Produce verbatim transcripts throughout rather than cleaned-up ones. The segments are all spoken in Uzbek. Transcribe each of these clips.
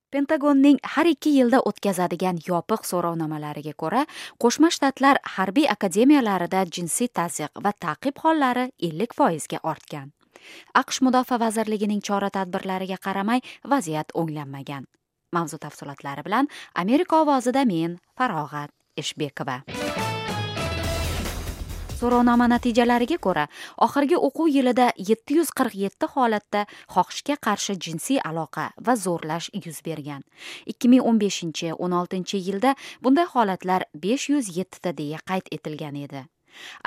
Pentagonning har ikki yilda o'tkazadigan yopiq so'rovnomalariga ko'ra, Qo'shma Shtatlar harbiy akademiyalarida jinsiy tazyiq va ta'qib hollari ellik foizga ortgan. A Q Sh Mudofaa vazirligining chora-tadbirlariga qaramay, vaziyat o'nglanmagan. Mavzu tafsilotlari bilan Amerika ovozida men, Farog'at Eshbekova. So'rovnoma natijalariga ko'ra, oxirgi o'quv yilida yetti yuz qirq yetti holatda xohishga qarshi jinsiy aloqa va zo'rlash yuz bergan. ikki ming o'n beshinchi, o'n oltinchi yilda bunday holatlar besh yuz yettita deya qayd etilgan edi.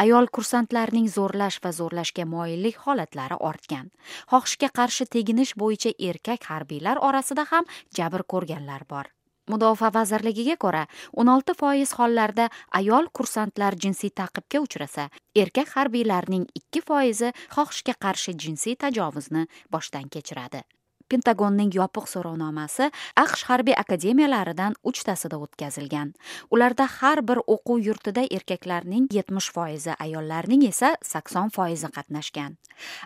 Ayol kursantlarning zo'rlash va zo'rlashga moyillik holatlari ortgan. Xohishga qarshi teginish bo'yicha erkak harbiylar orasida ham jabr ko'rganlar bor. Mudofaa vazirligiga ko'ra, o'n olti foiz hollarda ayol kursantlar jinsiy ta'qibga uchrasa, erkak harbiylarning ikki foizi xohishga qarshi jinsiy tajovuzni boshdan kechiradi. Pentagonning yopiq so'rovnomasi A Q Sh harbiy akademiyalaridan uchtasida o'tkazilgan. Ularda har bir o'quv yurtida erkaklarning yetmish foizi, ayollarning esa sakson foizi qatnashgan.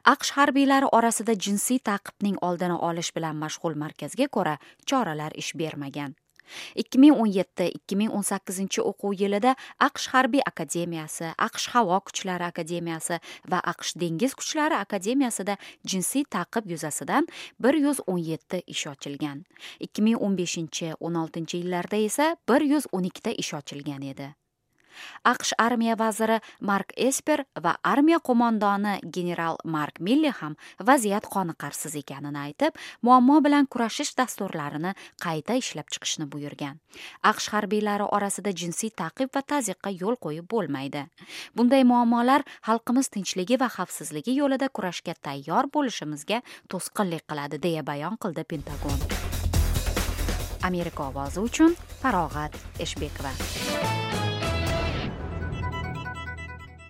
A Q Sh harbiylari orasida jinsiy ta'qibning oldini olish bilan mashg'ul markazga ko'ra, choralar ish bermagan. ikki ming o'n yetti, ikki ming o'n sakkizinchi o'quv yilida A Q Sh harbiy akademiyasi, A Q Sh havo kuchlari akademiyasi va A Q Sh dengiz kuchlari akademiyasida jinsiy ta'qib yuzasidan bir yuz o'n yetti ish ochilgan. ikki ming o'n beshinchi, o'n oltinchi yillarda esa bir yuz o'n ikkita ish ochilgan edi. A Q Sh armiya vaziri Mark Esper va armiya qo'mondoni general Mark Milli ham vaziyat qoniqarsiz ekanini aytib, muammo bilan kurashish dasturlarini qayta ishlab chiqishni buyurgan. A Q Sh harbiylari orasida jinsiy ta'qib va tazyiqqa yo'l qo'yib bo'lmaydi. Bunday muammolar xalqimiz tinchligi va xavfsizligi yo'lida kurashga tayyor bo'lishimizga to'sqinlik qiladi, deya bayon qildi Pentagon. Amerika ovozi uchun Farog'at Eshbekova.